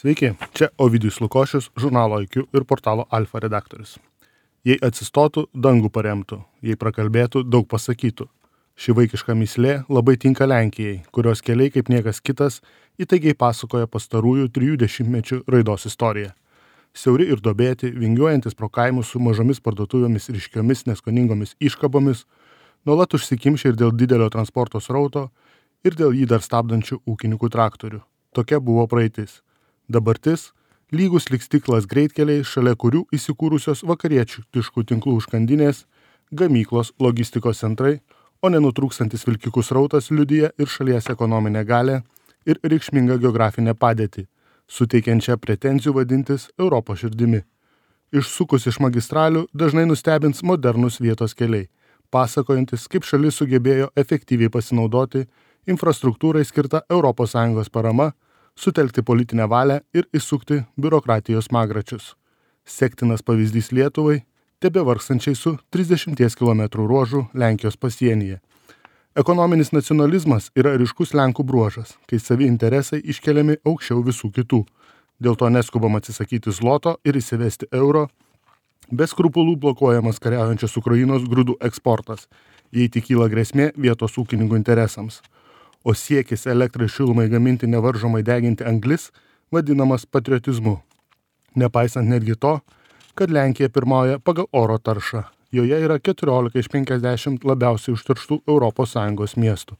Sveiki, čia Ovidijus Lukošius, žurnalo IQ ir portalo Alfa redaktorius. Jei atsistotų, dangų paremtų, jei prakalbėtų, daug pasakytų. Ši vaikiška mįslė labai tinka Lenkijai, kurios keliai kaip niekas kitas įtaigiai pasakoja pastarųjų 30 raidos istoriją. Siauri ir dobėti, vingiuojantis pro kaimus su mažomis parduotuvėmis ryškiomis neskoningomis iškabomis, nuolat užsikimšę ir dėl didelio transporto srauto, ir dėl jį dar stabdančių ūkininkų traktorių. Tokia buvo praeitis. Dabartis – lygus lyg stiklas greitkeliai, šalia kurių įsikūrusios vakarietiškų tinklų užkandinės, gamyklos, logistikos centrai, o nenutrūkstantis vilkikų srautas liudija ir šalies ekonominę galę ir reikšmingą geografinę padėtį, suteikiančią pretenzijų vadintis Europos širdimi. Išsukus iš magistralių dažnai nustebins modernus vietos keliai, pasakojantis, kaip šalis sugebėjo efektyviai pasinaudoti infrastruktūrai skirta ES parama, sutelkti politinę valią ir įsukti biurokratijos smagračius. Sektinas pavyzdys Lietuvai, tebevargstančiai su 30 km ruožu Lenkijos pasienyje. Ekonominis nacionalizmas yra ryškus Lenkų bruožas, kai savi interesai iškeliami aukščiau visų kitų. Dėl to neskubama atsisakyti zloto ir įsivesti euro, be skrupulų blokuojamas kariaujančios Ukrainos grūdų eksportas, jei tik kyla grėsmė vietos ūkininkų interesams. O siekis elektrai šilumai gaminti nevaržomai deginti anglis vadinamas patriotizmu. Nepaisant netgi to, kad Lenkija pirmauja pagal oro taršą. Joje yra 14 iš 50 labiausiai užterštų ES miestų.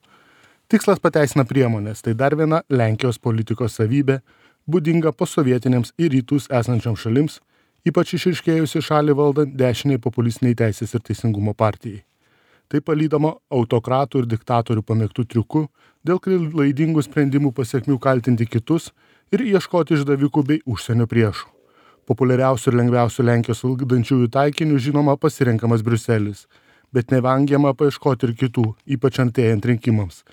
Tikslas pateisina priemonės, tai dar viena Lenkijos politikos savybė, būdinga posovietinėms į rytus esančioms šalims, ypač išryškėjusi šalį valdant dešiniai populistiniai Teisės ir teisingumo partijai. Tai palydoma autokratų ir diktatorių pamėgtų triukų, dėl klaidingų sprendimų pasekmių kaltinti kitus ir ieškoti išdavikų bei užsienio priešų. Populiariausių ir lengviausių Lenkijos valdančiųjų taikinių žinoma pasirenkamas Briuselis, bet nevengiama paieškoti ir kitų, ypač artėjant rinkimams.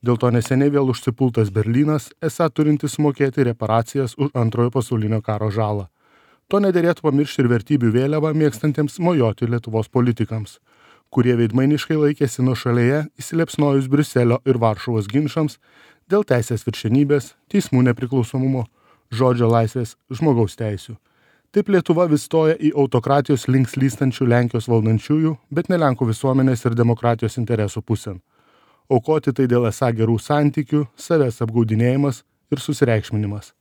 Dėl to neseniai vėl užsipultas Berlynas, esą turintis mokėti reparacijas už Antrojo pasaulinio karo žalą. To nederėtų pamiršti ir vertybių vėliavą mėgstantiems mojoti Lietuvos politikams, kurie veidmainiškai laikėsi nuošalėje įsiliepsnojus Briuselio ir Varšuvos ginčams dėl teisės viršenybės, teismų nepriklausomumo, žodžio laisvės, žmogaus teisių. Taip Lietuva vis stoja į autokratijos link slystančių Lenkijos valdančiųjų, bet ne Lenkų visuomenės ir demokratijos interesų pusėn. Aukoti tai dėl esą gerų santykių, savęs apgaudinėjimas ir susireikšminimas.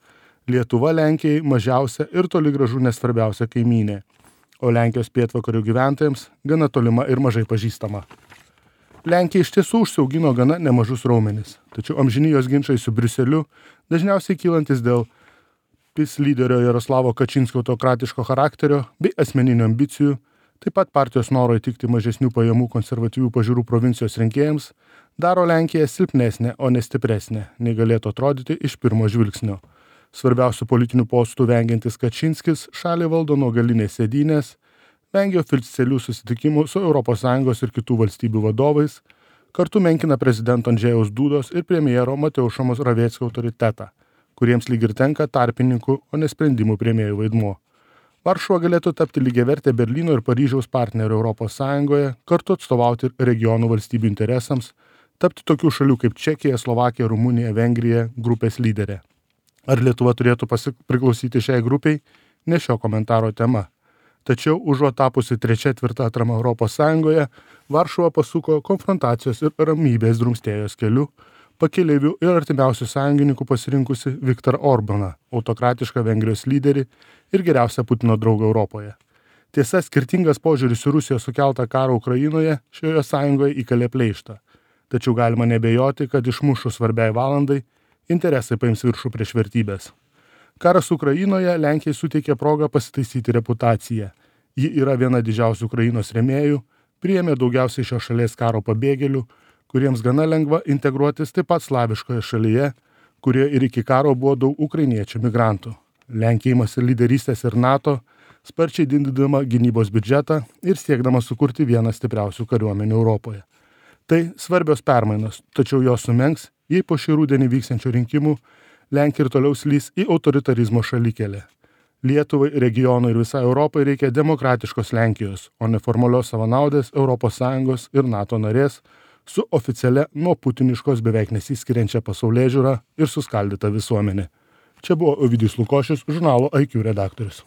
Lietuva Lenkijai mažiausia ir toli gražu nesvarbiausia kaimynė, o Lenkijos pietvakarių gyventojams gana tolima ir mažai pažįstama. Lenkija iš tiesų užsiaugino gana nemažus raumenis, tačiau amžinijos ginčai su Briuseliu, dažniausiai kylantis dėl PiS lyderio Jaroslavo Kačinskio autokratiško charakterio bei asmeninių ambicijų, taip pat partijos noro įtikti mažesnių pajamų konservatyvių pažiūrų provincijos rinkėjams, daro Lenkiją silpnesnę, o ne stipresnę, nei galėtų atrodyti iš pirmo žvilgsnio. Svarbiausių politinių postų vengiantis Kačinskis šalį valdo nuo galinės sėdynės, vengia oficialių susitikimų su ES ir kitų valstybių vadovais, kartu menkina prezidento Andžejaus Dudos ir premjero Mateušo Moravieckio autoritetą, kuriems lyg ir tenka tarpininkų, o ne sprendimų priėmėjų vaidmuo. Varšuva galėtų tapti lygiavertė Berlyno ir Paryžiaus partnerių ES, kartu atstovauti regionų valstybių interesams, tapti tokių šalių kaip Čekija, Slovakija, Rumunija, Vengrija grupės lyderė. Ar Lietuva turėtų priklausyti šiai grupiai, ne šio komentaro tema. Tačiau užuot tapusi trečia tvirta atrama ES, Varšuva pasuko konfrontacijos ir ramybės drumstėjos keliu, pakeleivių ir artimiausių sąjungininkų pasirinkusi Viktorą Orbaną, autokratišką Vengrijos lyderį ir geriausią Putino draugą Europoje. Tiesa, skirtingas požiūris į Rusijos sukeltą karą Ukrainoje šioje sąjungoje įkalė pleištą. Tačiau galima nebejoti, kad išmušus svarbiai valandai interesai paims viršų prieš vertybės. Karas Ukrainoje Lenkijai suteikė progą pasitaisyti reputaciją. Ji yra viena didžiausių Ukrainos rėmėjų, priėmė daugiausiai šios šalies karo pabėgėlių, kuriems gana lengva integruotis taip pat slaviškoje šalyje, kurioje ir iki karo buvo daug ukrainiečių migrantų. Lenkija imasi lyderystės ir NATO, sparčiai didindama gynybos biudžetą ir siekdama sukurti vieną stipriausių kariuomenių Europoje. Tai svarbios permainos, tačiau jos sumenks, jei po šį rudenį vyksiančių rinkimų Lenkija ir toliau slys į autoritarizmo šalikelę. Lietuvai, regionui ir visai Europai reikia demokratiškos Lenkijos, o ne formalios savanaudės ES ir NATO narės, su oficialia nuo putiniškos beveik nesiskiriančia pasaulėžiūra ir suskaldyta visuomenė. Čia buvo Ovidijus Lukošius, žurnalo IQ redaktorius.